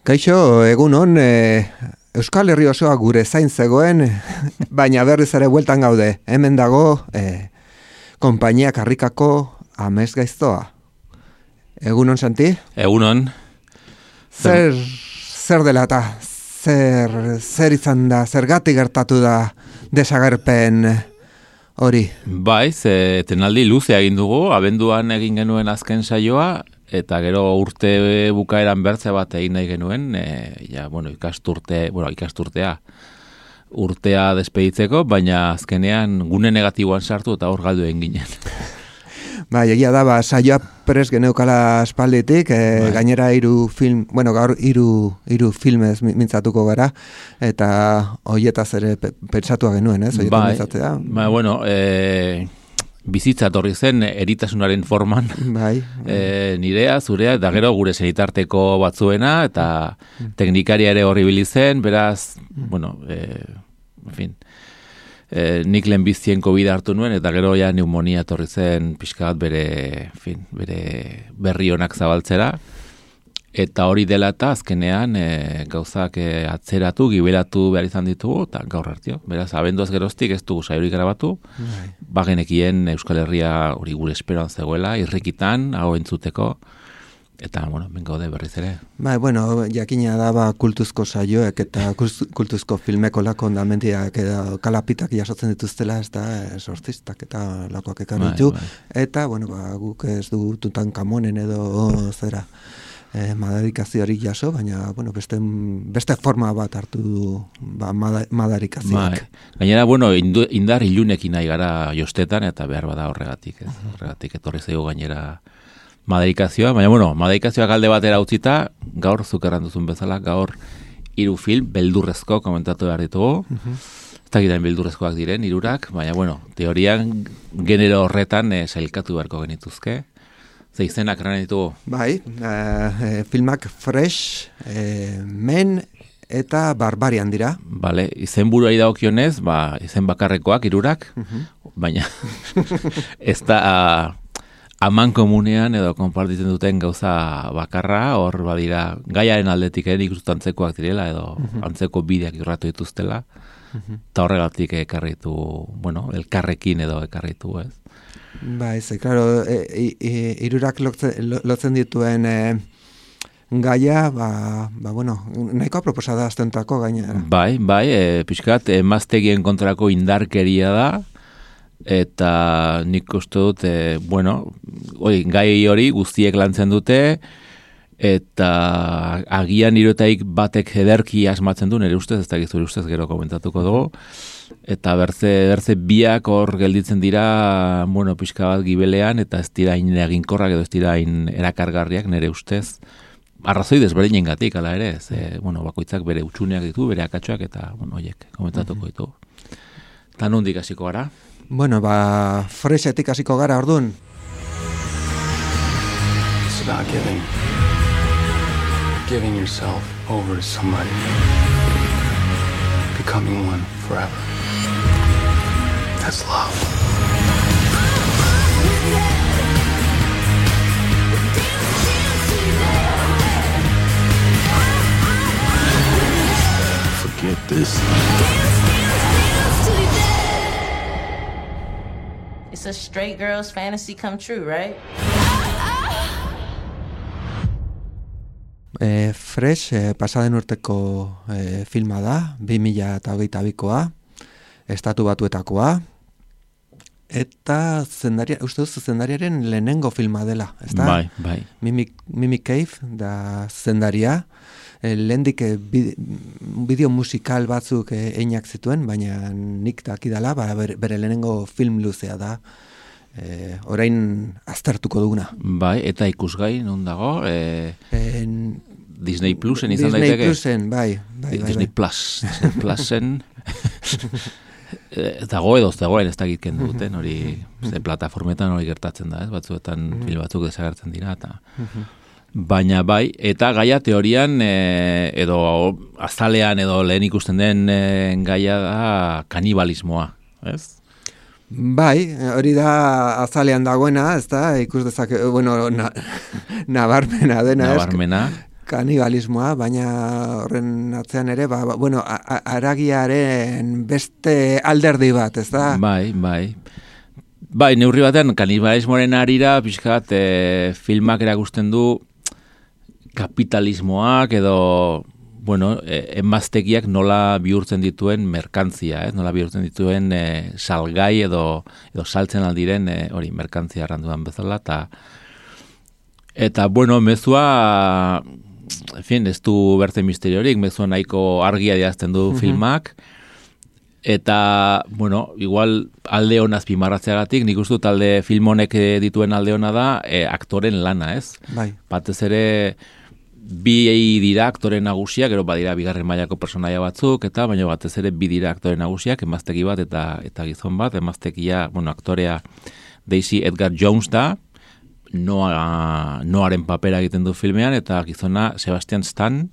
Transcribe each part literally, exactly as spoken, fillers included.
Kaixo, egun hon, e, Euskal Herri osoa gure zain zegoen, baina berriz ere bueltan gaude. Hemen dago, e, konpainia karrikako amez gaiztoa. Egun hon, Santi? Egun hon. Zer, zer dela eta, zer, zer izan da, zergatik gertatu da desagerpen hori? Bai, ze tenaldi luze egin dugu, abenduan egin genuen azken saioa, eta gero urte bukaeran bertze bat egin nahi genuen, e, ja, bueno, ikasturte, bueno, ikasturtea, urtea despeditzeko, baina azkenean gune negatiboan sartu eta hor galdu egin ginen. Bai, egia da, ba, saioa pres geneukala espalditik, e, bai. Gainera hiru film, bueno, gaur hiru hiru filmez mintzatuko gara, eta hoietaz ere pentsatua genuen, ez? Bai, bai, bueno, e, bizitza torri zen eritasunaren forman, bai, bai. E, nirea, zurea, eta gero gure senitarteko batzuena, eta teknikaria ere horri bilizen, beraz, bueno, e, en fin, e, nik lehenbizien COVID hartu nuen, eta gero ja pneumonia torri zen pixka bat bere, en fin, bere berri onak zabaltzera, eta hori dela eta azkenean e, gauzak e, atzeratu, gibelatu behar izan ditugu, eta gaur hartio. Beraz, abenduaz geroztik ez dugu saiorik grabatu, bai. Bagenekien Euskal Herria hori gure esperoan zegoela, irrikitan, hau entzuteko, eta, bueno, ben gaude berriz ere. Bai, bueno, jakina da ba, kultuzko saioek eta kultuzko filmeko lako ondamentiak edo kalapitak jasotzen dituztela, ez da, sortzistak eta lakoak ekan ditu, bai, bai. Eta, bueno, ba, guk ez du Tutankamonen edo zera, Eh, madarikazioarik jaso, baina bueno, beste, beste forma bat hartu du ba, madarikazioak. Bai. Gainera, bueno, indu, indar ilunekin nahi gara jostetan, eta behar bada horregatik. Ez? Horregatik etorri zaigu gainera madarikazioa, baina bueno, madarikazioak alde batera utzita, gaur zukerran duzun bezala, gaur hiru film beldurrezko komentatu behar ditugu. Uh-huh. Ez dakitain beldurrezkoak diren, hirurak, baina bueno, teorian genero horretan eh, sailkatu beharko genituzke. Ze izenak erran ditugu? Bai, uh, filmak Fresh, eh, Men eta Barbarian dira. Bale, izen buruari dagokionez, ba, izen bakarrekoak, hirurak, uh-huh. Baina ez da uh, aman komunean edo konpartitzen duten gauza bakarra, hor badira gaiaren aldetik ere ikustu antzekoak direla edo uh-huh. Antzeko bideak irratu dituztela, eta uh-huh. Horregatik ekarritu, bueno, elkarrekin edo ekarritu, ez? Ba, ez, claro, e, e, irurak lotzen, lotzen dituen e, gaia, ba, ba, bueno, nahiko aproposada aztentako gainera. Bai, bai, e, pixkat, emaztegien kontrako indarkeria da, eta nik uste dut, e, bueno, oi, gai hori guztiek lantzen dute, eta agian irotaik batek ederki asmatzen du, nire ustez, ez da gizuri ustez gero komentatuko dugu, eta berze, berze biak hor gelditzen dira, bueno, pixka bat gibelean, eta ez dira hain eginkorrak edo ez dira hain erakargarriak nire ustez, arrazoi desberdinen gatik, ala ere, ze, bueno, bakoitzak bere utxuneak ditu, bere akatsuak, eta, bueno, oiek, komentatuko ditu. Eta nondik hasiko gara? Bueno, ba, Freshetik hasiko gara, orduan. It's about giving. Giving yourself over to somebody. Becoming one forever. That's love. Forget this. It's a straight girl's fantasy come true, right? E, Fresh, e, pasaden urteko e, filma da, bi mila hogeita bikoa, estatu batuetakoa, eta zendaria, uste duzu zendariaren lehenengo filma dela, ez da? Bai, bai. Mimic, Mimic Cave da zendaria, e, lehendik e, bideo musikal batzuk e, einak zituen, baina nik dakidala, ba, bere, bere lehenengo film luzea da, e, orain aztertuko duguna. Bai, eta ikusgai, non dago? E, en, Disney Plusen izan Disney daiteke? Disney Plusen, bai. bai, bai Disney bai. Plus. Disney Plusen... Ez dago edo ez dagoen ez dakit kendu duten, hori ze plataformetan hori gertatzen da, ez? Batzuetan film batzuk desagertzen dira, eta... Baina bai, eta gaia teorian, e, edo azalean edo lehen ikusten den e, gaia da kanibalismoa, ez? Bai, hori da azalean dagoena, ez da, ikus dezake, bueno, na, nabarmena dena, Nabarmena. Kanibalismoa, baina horren atzean ere, ba, ba, bueno, a, a, aragiaren beste alderdi bat, ez da? Bai, bai. Bai, neurri batean, kanibalismoaren arira, pixkat, e, filmak erakusten du kapitalismoak edo, bueno, e, emaztegiak nola bihurtzen dituen merkantzia, ez? Nola bihurtzen dituen e, salgai edo, edo saltzen aldiren e, hori merkantzia erranduan bezala, eta eta, bueno, mezua, en fin, ez du berte misteriorik, mezua nahiko argia diazten du uh-huh. filmak, eta, bueno, igual alde honaz pimarratzeagatik, nik uste dut alde film honek dituen alde hona da, e, aktoren lana, ez? Bai. Batez ere, bi dira aktore nagusiak, gero badira bigarren mailako personaia batzuk, eta baina batez ere bi dira aktore nagusiak, emaztegi bat eta eta gizon bat, emaztegia, bueno, aktorea Daisy Edgar Jones da, Noa, Noaren papera egiten du filmean, eta gizona Sebastian Stan,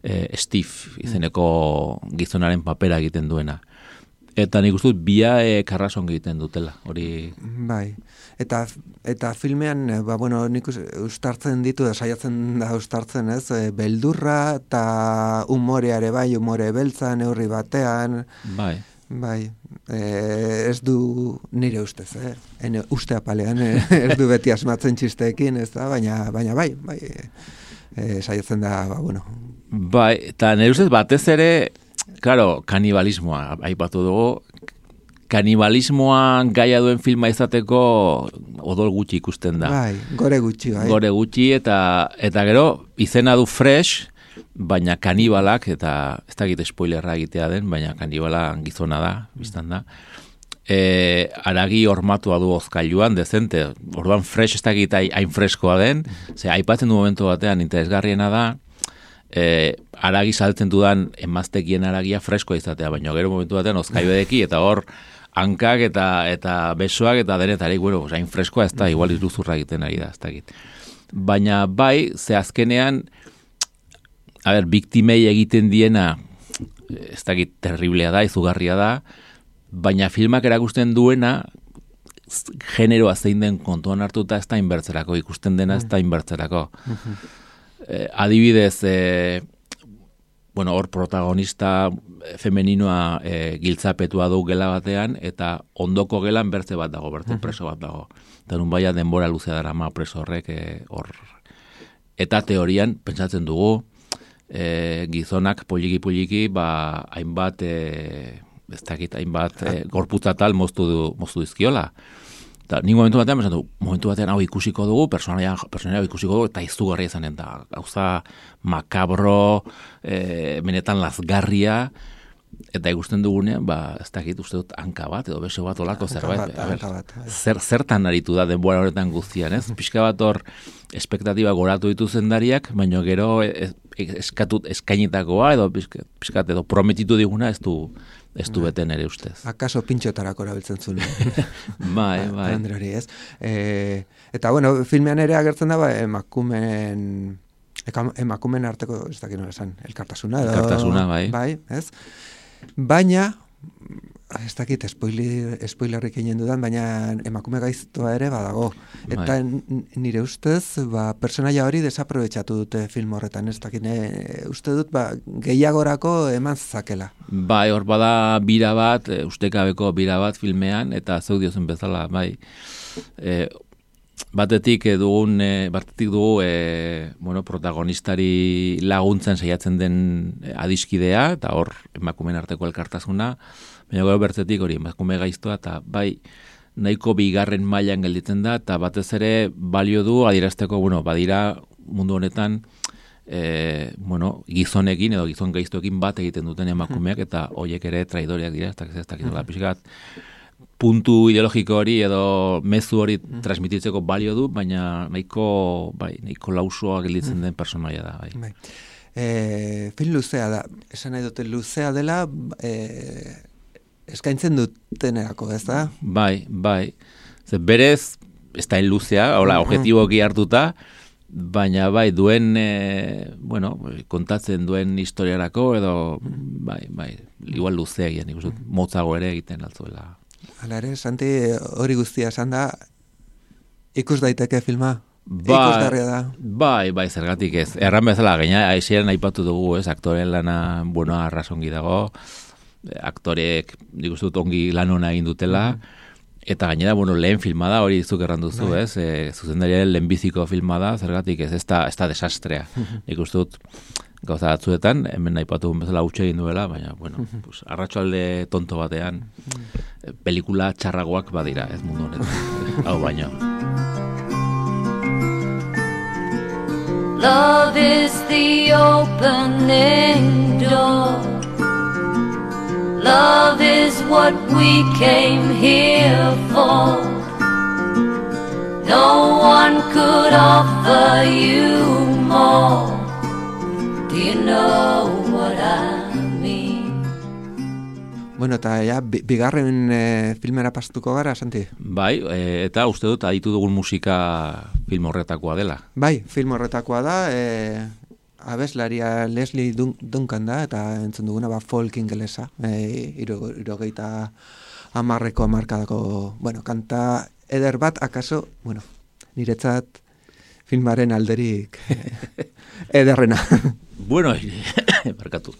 eh, Steve izeneko gizonaren papera egiten duena. Eta nik uste dut bia e, karrason egiten dutela, hori... Bai, eta, eta filmean, ba, bueno, nik ustartzen ditu, da, saiatzen da ustartzen, ez, e, beldurra eta umoreare bai, umore beltza, neurri batean... Bai. Bai, e, ez du nire ustez, eh? Ene, uste apalean, e, ez du beti asmatzen txisteekin, ez da, baina, baina bai, bai, e, saiatzen da, ba, bueno... Bai, eta nire ustez batez ere... Claro, kanibalismoa, aipatu dugu, kanibalismoa gaia duen filma izateko odol gutxi ikusten da. Bai, gore gutxi, bai. Gore gutxi, eta eta gero, izena du fresh, baina kanibalak, eta ez dakit spoilerra egitea den, baina kanibala gizona da, biztan da. E, aragi hormatua du ozkailuan, dezente, orduan fresh ez dakit hain freskoa den, ze aipatzen du momentu batean interesgarriena da, E, aragi saltzen dudan emaztekien aragia freskoa izatea, baina gero momentu batean ozkaibedeki eta hor hankak eta eta besoak eta denetarik, bueno, hain freskoa ez da, igual iruzurra egiten ari da, ez dakit. Baina bai, ze azkenean, a ber, biktimei egiten diena, ez dakit, terriblea da, izugarria da, baina filmak erakusten duena, generoa zein den kontuan hartuta ez da inbertzerako, ikusten dena ez da inbertzerako. Eh, adibidez, eh, bueno, hor protagonista femeninoa eh, giltzapetua du gela batean, eta ondoko gelan bertze bat dago, bertze preso bat dago. Eta nun baia denbora luzea dara ma preso horrek eh, hor. Eta teorian, pentsatzen dugu, eh, gizonak poliki-poliki, ba, hainbat, eh, ez dakit, hainbat, eh, gorputza tal moztu, du, moztu dizkiola. Eta nik momentu batean, besan du, momentu batean hau ikusiko dugu, personaia, personaia hau ikusiko dugu, eta izugarria izanen da. Gauza makabro, e, benetan lazgarria, eta ikusten dugunean, ba, ez dakit uste dut hanka bat, edo beso bat olako zerbait. Bat, zer, zertan aritu da denbora horretan guztian, ez? Pixka bat hor, espektatiba goratu ditu zendariak, baina gero es, eskatut eskainitakoa, edo pixkat, edo prometitu diguna, ez du... Ez du beten ere ustez. Akaso pintxotarako erabiltzen zuen. bai, bai. Androri, ez? E, eta, bueno, filmean ere agertzen da, ba, emakumen, emakumen arteko, ez dakit nola esan, elkartasuna. Edo, elkartasuna, bai. Bai, ez? Baina, ez dakit, spoiler, spoilerrik egin dudan, baina emakume gaiztoa ere badago. Eta bai. Nire ustez, ba, personaia hori desaprobetxatu dute film horretan, ez dakit, ne, uste dut, ba, gehiagorako eman zakela. Bai, hor bada bira bat, e, ustekabeko bira bat filmean, eta zeu diozen bezala, bai. E, batetik dugun, e, batetik dugu, e, bueno, protagonistari laguntzen saiatzen den adiskidea, eta hor emakumeen arteko elkartasuna, baina gero bertzetik hori emakume gaiztoa, eta bai, nahiko bigarren mailan gelditzen da, eta batez ere balio du adierazteko, bueno, badira mundu honetan, E, bueno, gizonekin edo gizon gaiztoekin bat egiten duten emakumeak, eta hoiek ere traidoreak dira, ez da ez dakit pixkat puntu ideologiko hori edo mezu hori mm. transmititzeko balio du, baina nahiko, bai, nahiko lausoa gelditzen mm. den personaia da. Bai. Bai. E, film luzea da, esan nahi dute luzea dela, e, eskaintzen dutenerako, ez da? Bai, bai. Zer, berez, ez da luzea, hola, mm. objetiboki hartuta, baina bai duen, e, bueno, kontatzen duen historiarako edo, bai, bai, igual luzea egin, ikusten, motzago ere egiten altzuela. Hala ere, Santi, hori guztia esan da, ikus daiteke filma? Bai, ikusgarria da? Bai, bai, zergatik ez. Erran bezala, gaina, aixeran aipatu dugu, ez, aktoren lana, bueno, arrazongi dago, aktorek, nik uste dut ongi lan hona egin dutela, mm. Eta gainera, bueno, lehen filma da, hori zuk erran duzu, bai. Ez? E, zuzendariaren lehenbiziko filma da, zergatik ez, ez da, ez da desastrea. Nik uste dut, gauza batzuetan, hemen aipatu bezala utxe egin duela, baina, bueno, pues, arratsalde tonto batean, pelikula txarragoak badira, ez mundu honetan. Hau baino. Love is the opening door. Love is what we came here for. No one could offer you more. Do you know what I mean? Bueno, eta ja, bigarren e, filmera pastuko gara, Santi? Bai, e, eta uste dut aditu dugun musika film horretakoa dela. Bai, film horretakoa da, e, abeslaria Leslie Dun- Duncan da, eta entzun duguna ba, folk ingelesa, e, iro, irogeita amarreko amarkadako, bueno, kanta eder bat, akaso, bueno, niretzat filmaren alderik ederrena. Bueno, barkatu.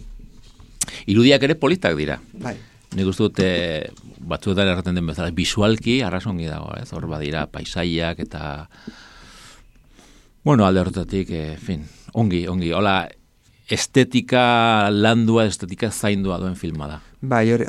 Irudiak ere politak dira. Bai. Nik uste dut, e, batzuetan erraten den bezala, bisualki arrazongi dago, ez? Hor badira paisaiak eta, bueno, alde horretatik, e, fin, ongi, ongi, hola, estetika landua, estetika zaindua duen filma da. Bai, hori,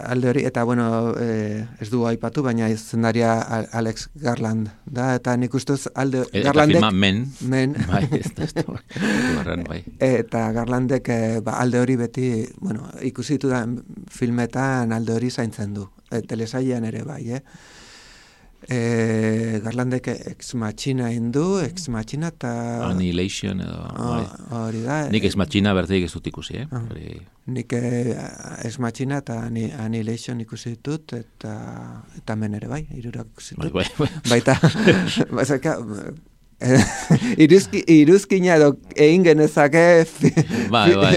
alde hori, eta bueno, eh, ez du aipatu, baina izendaria Alex Garland da, eta nik ustez alde E, Garlandek... Eta filma Men. Men. Bai, ez da, ez da, bai. Eta Garlandek eh, ba, alde hori beti, bueno, ikusitu da filmetan alde hori zaintzen du. E, telesailean ere bai, eh? E, Garlandek Ex Machina indu, Ex Machina eta... Annihilation edo... Oh, hori da. Nik Ex Machina berdeik ez dut ikusi, eh? Uh, hori... Nik eh, Ex Machina eta Annihilation ikusi ditut, eta, eta Men ere bai, hirurak ikusi ditut. Bai, bai, bai. Baita, bazaka, iruzki, iruzkina edo egin genezake... Bai, bai.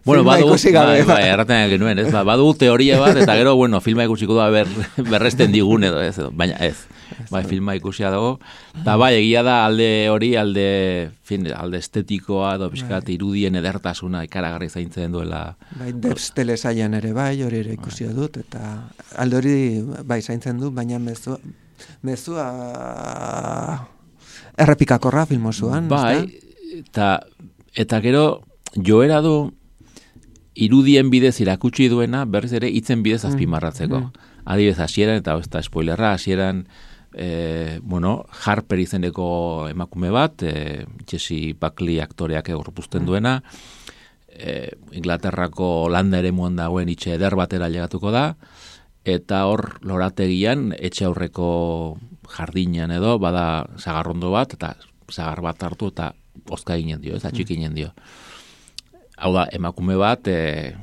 Bueno, badu, bai, bai, erraten genuen, ez? Ba, badu teoria bat, eta gero, bueno, filma ikusiko da ber, berresten digun edo, ez? Baina ez. Bai, filma ikusia dago. Eta bai, egia da alde hori, alde, fin, alde estetikoa, edo pixkat irudien edertasuna ikaragarri zaintzen duela. Bai, Debs telesailan ere bai, hori ere ikusi dut, eta alde hori bai zaintzen du, baina mezua, mezua errepikakorra filmosuan. Bai, eta, eta gero joera du irudien bidez irakutsi duena, berriz ere hitzen bidez azpimarratzeko. Mm. Adibidez, hasieran, eta ez da spoilerra, hasieran, e, bueno, Harper izeneko emakume bat, e, Jesse Buckley aktoreak egorpuzten duena, e, Inglaterrako landa ere muan dagoen itxe eder batera llegatuko da, eta hor lorategian, etxe aurreko jardinean edo, bada sagarrondo bat, eta sagar bat hartu, eta ozka ginen dio, ez atxik ginen dio. Hau da, emakume bat, e,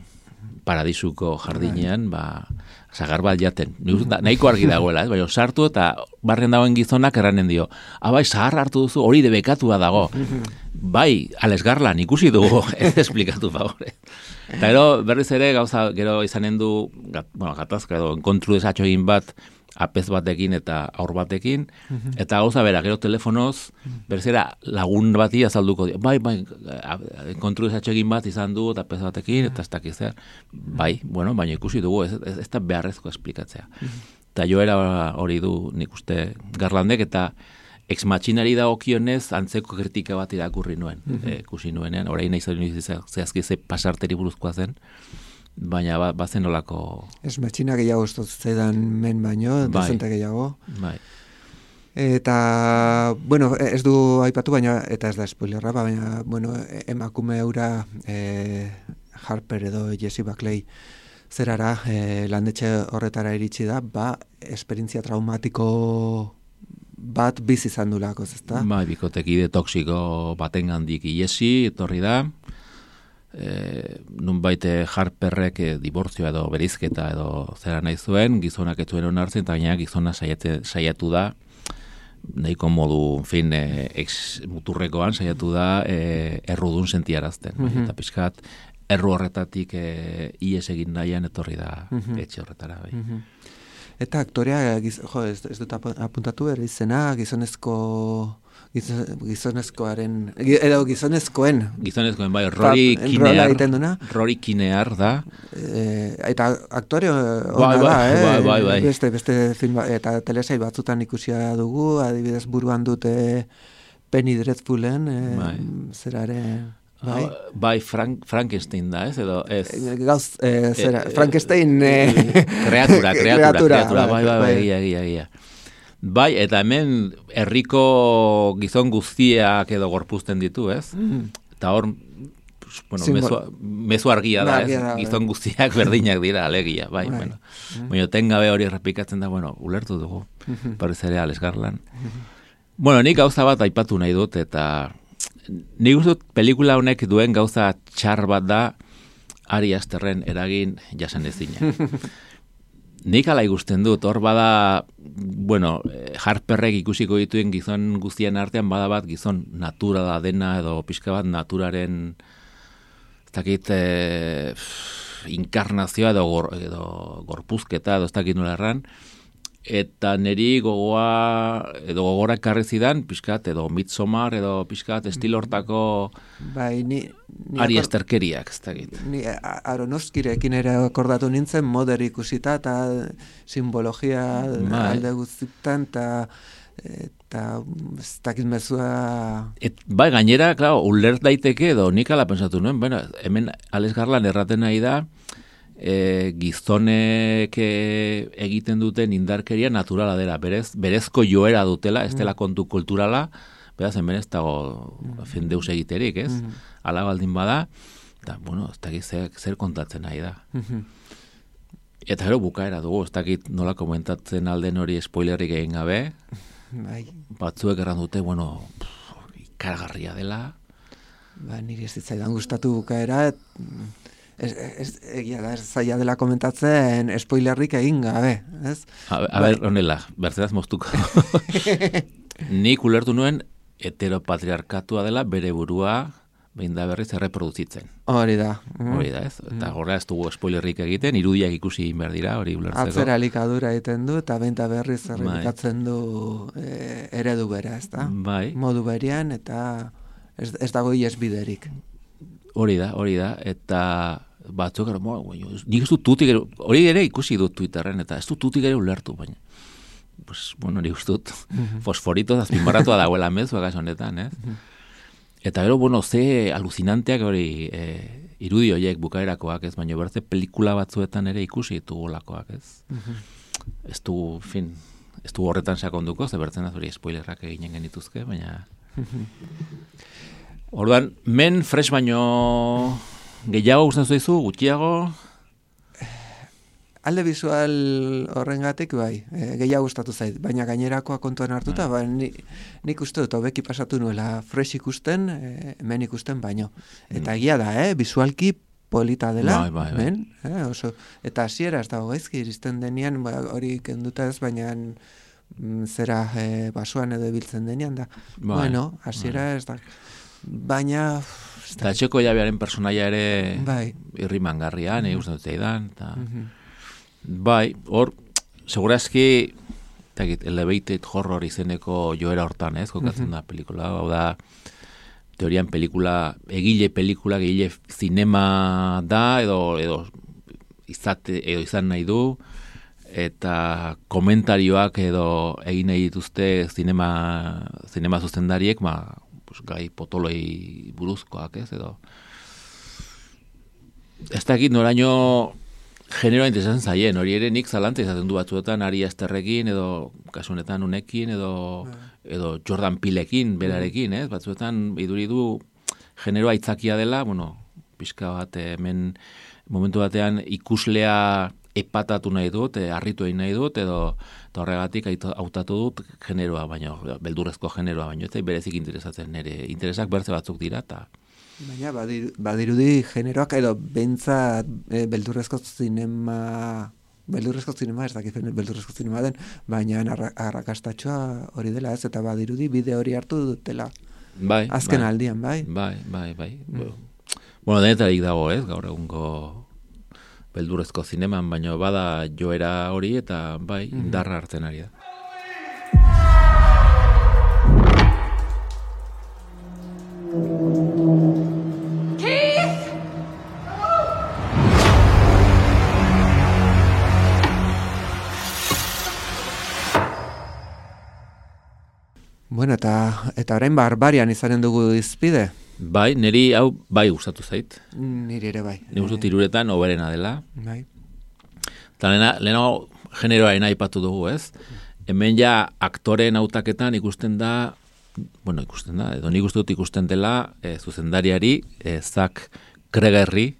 paradisuko jardinean, ba, sagar bat jaten. Nahiko argi dagoela, ez? Baina sartu eta barren dagoen gizonak erranen dio. Abai, sahar hartu duzu, hori debekatua dago. Bai, Alex Garland ikusi dugu, ez esplikatu favore. Eta gero, berriz ere, gauza, gero izanen du, gat, bueno, gatazka edo, enkontru desatxo egin bat, apez batekin eta aur batekin, eta gauza bera, gero telefonoz, berzera lagun bati azalduko dio. Bai, bai, enkontru desatxo egin bat izan du, eta apez batekin, eta ez dakiz zer. Bai, bueno, baina ikusi dugu, ez, ez, ez da beharrezko esplikatzea. Eta joera hori du nik uste Garlandek, eta Ex Machinari dagokionez antzeko kritika bat irakurri nuen, ikusi nuenean, orain nahi zain zehazki ze pasarteri buruzkoa zen, baina ba, bazen olako... Ez Machina gehiago zedan Men baino, bai, dezente gehiago. Bai. Eta, bueno, ez du aipatu, baina, eta ez da spoilerra, baina, bueno, emakume eura e, Harper edo Jesse Buckley zerara, e, landetxe horretara iritsi da, ba, esperientzia traumatiko bat bizi izan dulako, ezta? Bai, bikotekide toksiko batengandik iesi, etorri da, e, nunbait Harperrek e, dibortzioa edo berizketa edo zera nahi zuen, gizonak ez zuen onartzen, eta gaina gizona saiate, saiatu da, nahiko modu, en fin, e, ex muturrekoan saiatu da e, errudun sentiarazten. Mm-hmm. Eta pixkat, erru horretatik e, ies egin nahian etorri da mm-hmm. etxe horretara. Bai. Mm-hmm. Eta aktorea, giz, jo, ez, ez dut apuntatu ere izena, gizonezko... gizonezkoaren, edo gizonezkoen. Gizonezkoen, bai, Rory Kinear, Rory Kinear da. E, eta aktore ona bai, da, bai, eh? Bai, bai, bai. Beste, beste film, eta telesai batzutan ikusia dugu, adibidez buruan dute Penny Dreadfulen, e, bai. zerare... Bai, uh, bai Frank, Frankenstein da, ez? Edo, ez. Gauz, e, zera, e, Frankenstein... E, kreatura, kreatura, kreatura, kreatura, bai, bai, bai, bai, egia, egia, egia. Bai, eta hemen herriko gizon guztiak edo gorpuzten ditu, ez? Mm. Eta hor, bueno, mezu, mezu argia da, ez? Da, gizon guztiak berdinak dira, alegia, bai, bai. Bueno. Mm. Baina tengabe hori errepikatzen da, bueno, ulertu dugu, mm-hmm. Berriz ere Alex Garland. Mm-hmm. Bueno, nik gauza bat aipatu nahi dut, eta nik uste dut pelikula honek duen gauza txar bat da Ari Asterren eragin jasan ezina. Nik ala ikusten dut, hor bada, bueno, Harperrek ikusiko dituen gizon guztien artean bada bat gizon naturala dena edo pixka bat naturaren ez dakit e, inkarnazioa edo, gor, edo gorpuzketa edo ez dakit nola erran, eta niri gogoa edo gogora ekarri zidan pixkat edo Midsommar edo pixkat estilo hortako bai, ni, ni Ari Asterkeriak, ez dakit. Ni Aronofskirekin ere akordatu nintzen moder ikusita eta simbologia bai. Alde guztietan eta eta ez dakit mezua... Et, bai, gainera, claro, ulert daiteke edo nik ala pensatu nuen, bueno, hemen Alex Garland erraten nahi da E, gizonek e, egiten duten indarkeria naturala dela, berez, berezko joera dutela, ez dela kontu kulturala, beraz, hemen ez dago mm. deus egiterik, ez? Mm. Ala baldin bada, eta, bueno, ez dakit zer, zer kontatzen nahi da. Mm-hmm. Eta gero bukaera dugu, ez dakit nola komentatzen alden hori spoilerrik egin gabe, bai. Batzuek erran dute, bueno, ikaragarria dela. Ba, niri ez zitzaidan gustatu bukaera, et... Ez, ez, egia da, ez zaila dela komentatzen spoilerrik egin gabe, ez? A, a ber, honela, bertzeraz moztuko. Nik ulertu nuen heteropatriarkatua dela bere burua behin da berriz erreproduzitzen. Hori da. Hori da, ez? Eta horra ez dugu spoilerrik egiten, irudiak ikusi behar dira, hori ulertzeko. Atzera likadura egiten du, eta behin da berriz errepikatzen du e, eredu bera, ez da? Bai. Modu berian, eta ez, ez dago iesbiderik. Hori da, hori da, eta batzuk, nik ez dut tutik, hori ere ikusi dut Twitterren, eta ez dut tutik ere ulertu, baina, pues, bueno, nik ez dut mm-hmm. fosforito azpimarratua dagoela mezu agaz honetan, ez? Mm-hmm. Eta gero, bueno, ze alucinanteak hori e, irudi horiek bukaerakoak, ez? Baina bertze pelikula batzuetan ere ikusi ditugulakoak, ez? Mm-hmm. Ez du, fin, ez du horretan sakonduko, ze bertzen hori spoilerrak eginen genituzke, baina... Mm-hmm. Orduan, men fresh baino gehiago gustatzen zaizu, gutxiago? Alde visual horrengatik bai, e, gehiago gustatu zait, baina gainerakoa kontuan hartuta, ba, ni, nik uste dut hobeki pasatu nuela fresh ikusten, e, men ikusten baino. Eta egia da, eh, visualki polita dela, bai, bai, bai. men, eh, oso, eta hasiera ez dago gaizki iristen denean, ba, hori kenduta ez, baina mm, zera e, basuan edo ibiltzen denean da. Bai, bueno, hasiera bai. Ez da... Baina... Eta etxeko jabearen personaia ere bai. Irrimangarria, nahi uste dut eidan. Mm-hmm. Bai, hor, segurazki, takit, elevated horror izeneko joera hortan, ez, kokatzen mm-hmm. da pelikula. Hau da, teorian pelikula, egile pelikula, egile zinema da, edo, edo, izate, edo izan nahi du, eta komentarioak edo egin nahi dituzte zinema, zinema zuzendariek, ma, gai potoloi buruzkoak, ez, edo ez dakit noraino generoa interesatzen zaien, hori ere nik zalantza izaten du batzuetan Ari Asterrekin edo kasunetan unekin edo, edo Jordan Peelekin berarekin, ez, batzuetan iduri du generoa aitzakia dela, bueno, pixka bat hemen momentu batean ikuslea epatatu nahi dut, e, harritu egin nahi dut, edo horregatik hautatu dut generoa, baina beldurrezko generoa, baina ez berezik interesatzen, nire interesak bertze batzuk dira, eta... Baina badirudi generoak edo bentsat e, beldurrezko zinema... Beldurrezko zinema, ez dakit beldurrezko zinema den, baina arrakastatxoa hori dela ez, eta badirudi bide hori hartu dutela. Bai, azken bai, aldian, bai? Bai, bai, bai. Mm. Bueno, denetarik dago, ez, gaur egungo beldurrezko zineman, baina bada joera hori, eta bai, mm-hmm. indarra hartzen ari da. Bueno, eta, eta orain barbarian izanen dugu izpide? Bai, niri hau bai gustatu zait. Niri ere bai. Ni gustut iruretan oberena dela. Bai. Eta lehenago generoaren aipatu dugu, ez? Hemen ja aktoreen hautaketan ikusten da, bueno, ikusten da, edo nik uste dut ikusten dela e, zuzendariari, e, Zack Kregerri,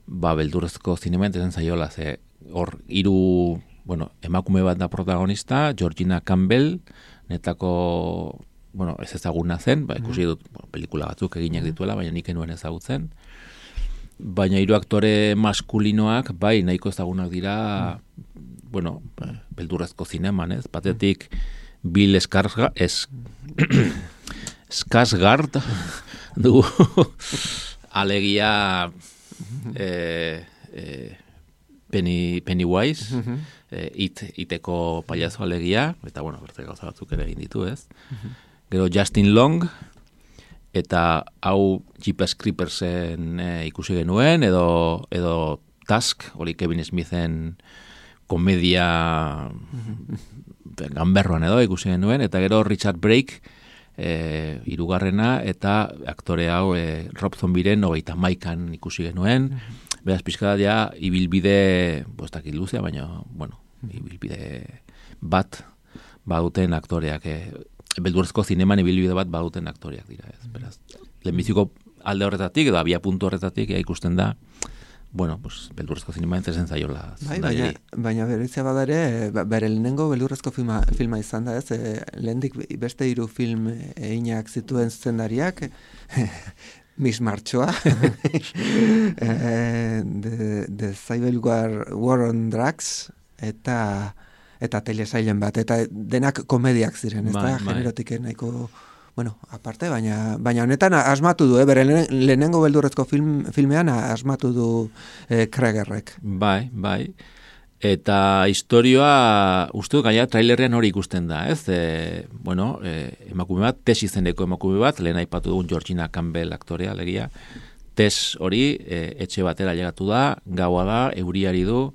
ba, beldurrezko zinemen ezen zaiola, ze hor hiru, bueno, emakume bat da protagonista, Georgina Campbell, netako, bueno, ez ezaguna zen, ba, ikusi dut bueno, pelikula batzuk eginak dituela, baina nik enuen ezagutzen. Baina hiru aktore maskulinoak, bai, nahiko ezagunak dira, bueno, beldurrezko zineman, ez? Batetik Bill Skarsgård, es, Skarsgård, du, alegia, eh, eh, Penny, Pennywise, uh-huh. e, it, iteko paiazo alegia, eta bueno, bertze gauza batzuk ere egin ditu, ez? Uh-huh. Gero Justin Long, eta hau Jeepers Creepersen e, ikusi genuen, edo, edo Tusk, hori Kevin Smithen komedia uh-huh. ganberroan edo ikusi genuen, eta gero Richard Brake, e, irugarrena, eta aktore hau e, Rob Zombieren hogeita maikan ikusi genuen, uh-huh. Beraz, pixka da, ibilbide, bostakit luzea, baina, bueno, ibilbide bat baduten aktoreak, eh, beldurrezko zineman ibilbide bat baduten aktoreak dira, ez, beraz. Lehenbiziko alde horretatik, edo abia puntu horretatik, ja, ikusten da, bueno, pues, beldurrezko zineman zezen zaiola. Bai, baina, baina berizia badare, bere lehenengo beldurrezko filma, filma izan da, ez, e, lehendik beste hiru film eginak zituen zuzendariak, Miss Marchoa, The, the Civil War, War on Drugs, eta eta telesailen bat, eta denak komediak ziren, ez da, generotik nahiko, bueno, aparte, baina baina honetan asmatu du, eh, bere lehenengo beldurrezko film, filmean asmatu du eh, Kregerrek. Bai, bai. Eta historioa, uste dut, gaia trailerrean hori ikusten da, ez? E, bueno, e, emakume bat, Tess izeneko emakume bat, lehen aipatu dugun Georgina Campbell aktorea, legia. Tess hori, e, etxe batera llegatu da, gaua da, euriari du,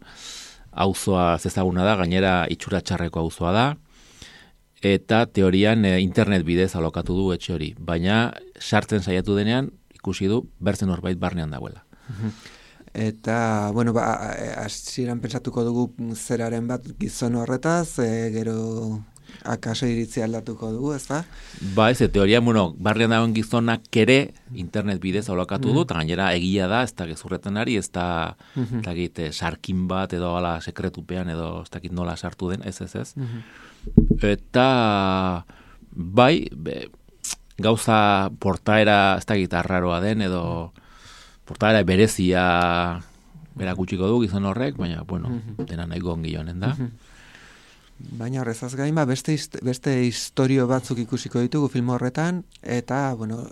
auzoa zezaguna da, gainera itxura txarreko auzoa da, eta teorian e, internet bidez alokatu du etxe hori. Baina, sartzen saiatu denean, ikusi du, bertzen horbait barnean dagoela. Eta, bueno, ba, hasieran pensatuko dugu zeraren bat gizon horretaz, e, gero akaso iritzi aldatuko dugu, ez da? Ba, ez, teoria, bueno, barrian dagoen gizonak ere internet bidez alokatu du, eta gainera egia da, ez da gezurretan ari, ez da, mm-hmm. ez da gite, sarkin bat, edo ala sekretupean, edo ez dakit nola sartu den, ez, ez, ez. Mm-hmm. Eta, bai, be, gauza portaera, ez da gita arraroa den, edo... Portaera berezia berakutsiko du gizon horrek, baina, bueno, dena nahi gongi joanen da. Baina horrezaz gain, ba, beste, beste historio batzuk ikusiko ditugu film horretan, eta, bueno,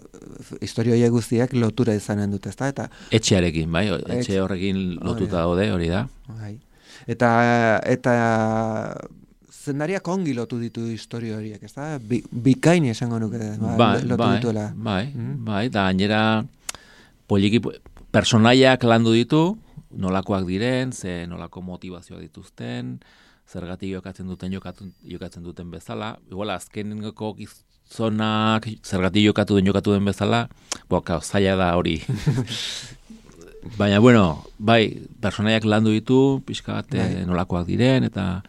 historio horiek guztiak lotura izanen dut, ezta? Eta etxearekin, bai, etxe horrekin lotuta daude, hori da. Bai. Eta, eta zendariak ongi lotu ditu historio horiek, ezta? Bi, bikaini esango nuke, ba, bai, lotu bai, dituela. Bai, mm? bai, da gainera poliki, personaiak landu ditu, nolakoak diren, ze nolako motivazioak dituzten, zergatik jokatzen duten jokatu, jokatzen duten bezala. Igual azkeneko gizonak zergatik jokatu den jokatu den bezala, boka, zaila da hori. Baina, bueno, bai, personaiak landu ditu, pixka bat nolakoak diren, eta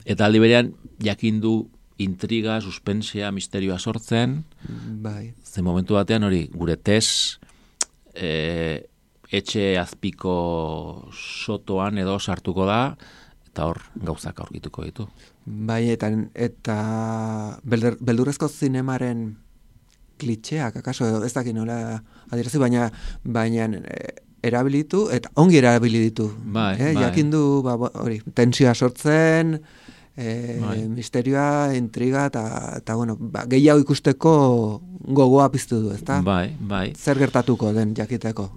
eta aldi berean jakin du intriga, suspensia, misterioa sortzen. Bai. Ze momentu batean hori, gure Tess, E, etxe azpiko sotoan edo sartuko da, eta hor gauzak aurkituko ditu. Bai, eta, eta beldur, beldurrezko zinemaren klitxeak, akaso, edo ez dakit nola adierazi, baina, baina erabilitu, eta ongi erabili ditu. Bai, eh? bai. Jakindu, ba, hori, tensioa sortzen, E, bai. misterioa, intriga, eta, eta bueno, ba, gehiago ikusteko gogoa piztu du, ezta? Bai, bai. Zer gertatuko den jakiteko.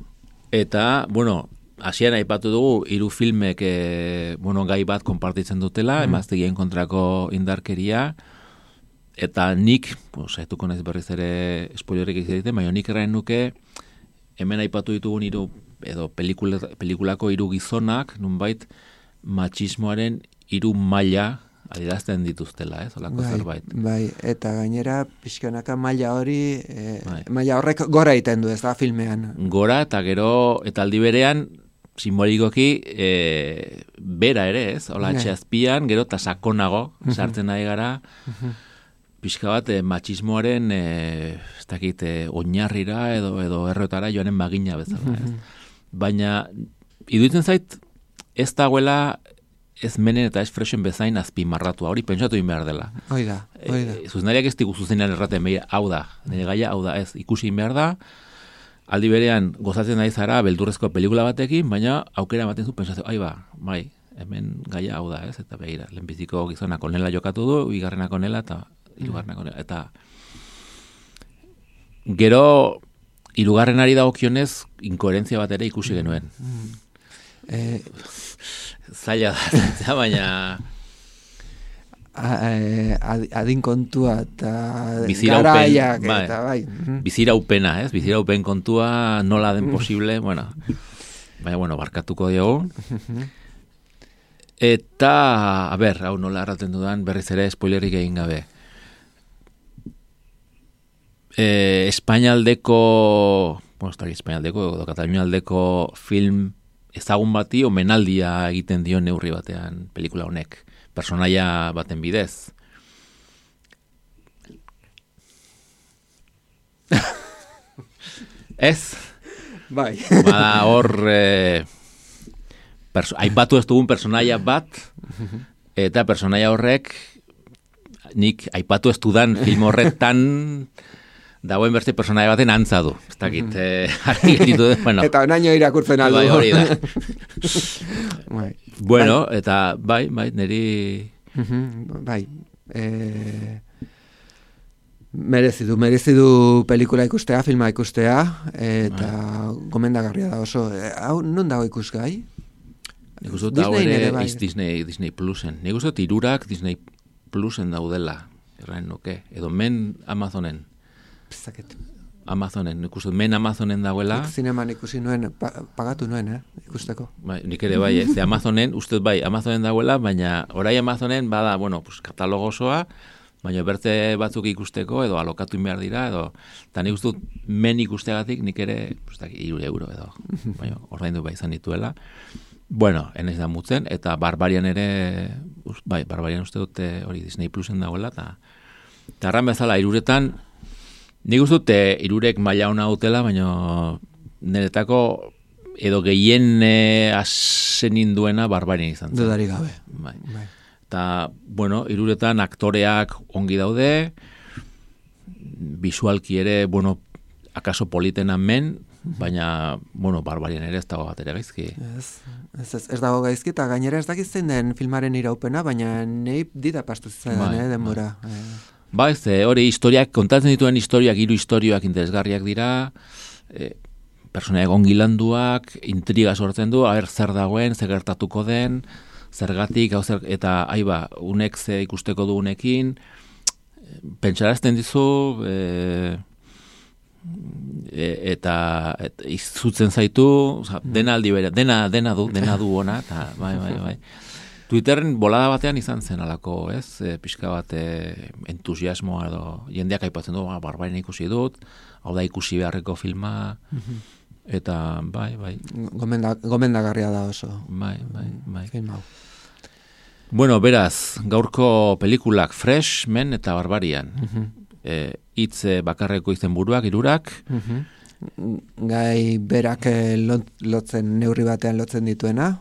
Eta, bueno, hasieran aipatu dugu, hiru filmek e, bueno, gai bat konpartitzen dutela, mm. emaztegien kontrako indarkeria, eta nik, pues, haituko naiz berriz ere spoilerik egiten, baina nik erraen nuke, hemen aipatu ditugun hiru edo pelikula, pelikulako hiru gizonak, nunbait, matxismoaren hiru maila adierazten dituztela, ez, olako bai, zerbait. Bai, eta gainera pixkanaka maila hori, e, bai. maila horrek gora egiten du, ez da, filmean. Gora, eta gero, eta aldi berean, simbolikoki, e, bera ere, ez, hola etxe azpian, gero, eta sakonago, sartzen nahi gara, pixka bat, e, matxismoaren, e, ez dakit, e, oinarrira, edo, edo errotara joanen bagina bezala, ez. Baina, iduitzen zait, ez dagoela, ez menen eta ez fresen bezain azpimarratua, hori pentsatu egin behar dela. Hoi da, hoi da. E, zuzenariak ez digu zuzenean erraten behar, hau da, nire gaia, hau da, ez, ikusi egin behar da, aldi berean gozatzen nahi zara beldurrezko pelikula batekin, baina aukera ematen zu pentsatu, ai ba, bai, hemen gaia hau da, ez, eta behira, lehenbiziko gizonak onela jokatu du, bigarrenak onela, eta hirugarrenak onela, eta gero, hirugarrenari dagokionez, inkoherentzia bat ere ikusi genuen. Mm. Eh, Zaila da, baina adin kontua eta garaiak bai, eta bai. Biziraupena, ez? Biziraupen kontua nola den posible, bueno. Baina, bueno, barkatuko diogu. Eta, a ber, hau nola erraten dudan, berriz ere spoilerik egin gabe. Eh, Espainaldeko, bueno, ez da Espainaldeko, edo Katalunialdeko film ezagun bati omenaldia egiten dio neurri batean pelikula honek, personaia baten bidez. Ez? Bai. Bada hor, eh, aipatu ez dugun personaia bat, eta personaia horrek, nik aipatu ez dudan film horretan, dagoen beste personaia baten antza du. Ez dakit, mm-hmm. eh, bueno. Eta onaino irakurtzen aldu. Bai, hori da. bai. Bueno, bai. Eta bai, bai, niri... Mm-hmm. Bai. E... Merezidu, merezidu pelikula ikustea, filma ikustea, eta bai. Gomendagarria da oso. Hau, non dago ikusgai? Nik uste dut hau ere bai. Disney, Disney Plusen. Nik uste dut irurak Disney Plusen daudela. Erraen nuke. Edo men Amazonen. Zaket. Amazonen, nik uste, men Amazonen dagoela. Nik zineman ikusi nuen, pa, pagatu nuen, eh, ikusteko. Bai, nik ere bai, ez, Amazonen, uste bai, Amazonen dagoela, baina orai Amazonen bada, bueno, pues, katalogo osoa, baina berte batzuk ikusteko, edo alokatu behar dira, edo, eta nik uste men ikusteagatik, nik ere, pues, iru euro, edo, baina ordaindu bai izan dituela. Bueno, enez da mutzen, eta Barbarian ere, bai, Barbarian uste dute hori Disney Plusen dagoela, eta tarran bezala, iruretan, nik uste dute irurek maila ona dutela, baina niretako edo gehien e, asenin duena Barbarian izan zen. Dudari gabe. Bai. Bai. Eta, bueno, iruretan aktoreak ongi daude, visualki ere, bueno, akaso politena men, baina, bueno, Barbarian ere ez dago bat ere gaizki. Ez, ez, ez, ez dago gaizki, eta gainera ez dakitzen den filmaren iraupena, baina nahi dida pastu zen, bai, eh, denbora. Bai. Ba, ez, hori historiak, kontatzen dituen historiak, hiru historiak interesgarriak dira, e, personaia ongi landuak, intriga sortzen du, haber zer dagoen, zer gertatuko den, zergatik, hau zer, eta aiba, unek ze ikusteko dugunekin, pentsarazten dizu, e, e, eta et, izutzen zaitu, oza, dena aldi bere, dena, dena du, dena du ona, eta bai, bai, bai. Twitterren bolada batean izan zen alako, ez? E, pixka bat e, entusiasmoa edo jendeak aipatzen du, Barbarian ikusi dut, hau da ikusi beharreko filma, eta bai, bai. Gomenda, gomendagarria da oso. Bai, bai, bai. Film hau. Bueno, beraz, gaurko pelikulak Fresh, Men eta Barbarian. Uh-huh. E, itz bakarreko izen buruak, irurak, uh-huh. gai berak lot, lotzen, neurri batean lotzen dituena.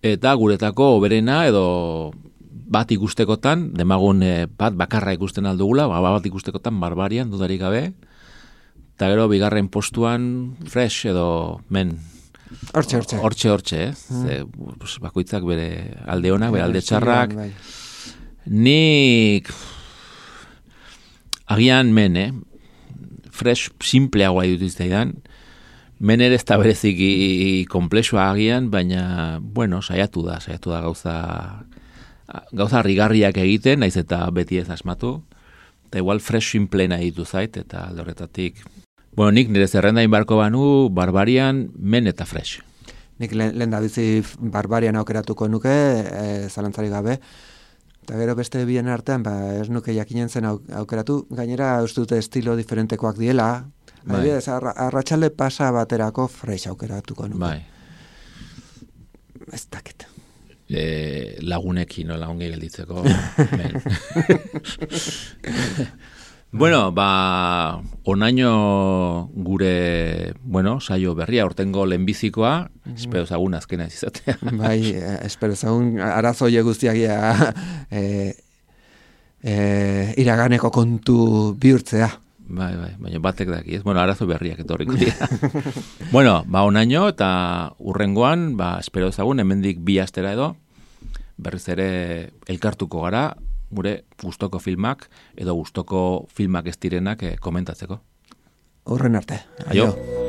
Eta guretako oberena edo bat ikustekotan, demagun eh, bat bakarra ikusten aldugula, ba, bat ikustekotan Barbarian dudarik gabe, eta gero bigarren postuan Fresh edo Men. Hortxe, hortxe. Hortxe, hortxe, eh? Mm. Ze, pues, bakoitzak bere alde honak, bere alde txarrak. Bai. Nik agian Men, eh? Fresh simpleagoa dituzteidan. Men ere ez da bereziki komplexua agian, baina, bueno, saiatu da, saiatu da gauza gauza rigarriak egiten, naiz eta beti ez asmatu. Eta igual Fresh simple nahi ditu zait, eta alde horretatik. Bueno, nik nire zerrendain barko banu, Barbarian, Men eta Fresh. Nik lehen da bizi Barbarian aukeratuko nuke, e, zalantzari gabe. Eta gero beste bien artean, ba, ez nuke jakinen zen aukeratu. Gainera, uste dute estilo diferentekoak diela. Bai. Adibidez, arratsalde pasa baterako Fresh aukeratuko nuke. Bai. Ez dakit. E, lagunekin, no, lagun gelditzeko. Bueno, ba, onaino gure, bueno, saio berria, hortengo lehenbizikoa, mm-hmm. espero zagun azkena ez izatea. Bai, espero zagun arazoie guztiagia e, e, iraganeko kontu bihurtzea. Bai, bai, baina batek daki, ez? Bueno, arazo berriak etorriko dira. Bueno, ba, onaino eta urrengoan, ba, espero zagun, hemendik bi astera edo, berriz ere elkartuko gara, gure gustoko filmak edo gustoko filmak ez direnak eh, komentatzeko. Horren arte. Aio. Aio.